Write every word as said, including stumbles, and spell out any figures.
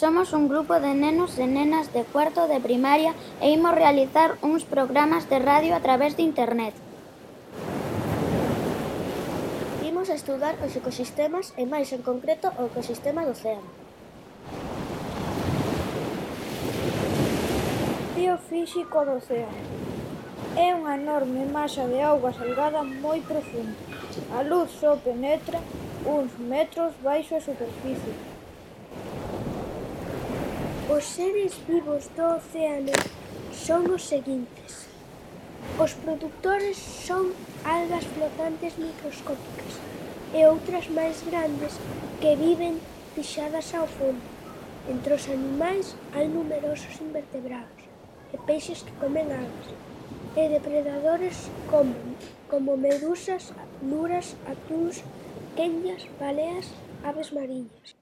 Somos un grupo de nenos e nenas de cuarto de primaria e imos realizar uns programas de radio a través de internet. Imos a estudar os ecosistemas e, máis en concreto, o ecosistema do océano. Biofísico do océano. É unha enorme masa de auga salgada moi profunda. A luz só penetra uns metros baixo a superficie. Os seres vivos do océano son os seguintes: os produtores son algas flotantes microscópicas e outras máis grandes que viven pixadas ao fondo. Entre os animais hai numerosos invertebrados e peixes que comen algas, e depredadores como, como medusas, luras, atúns, quenllas, baleas, aves mariñas.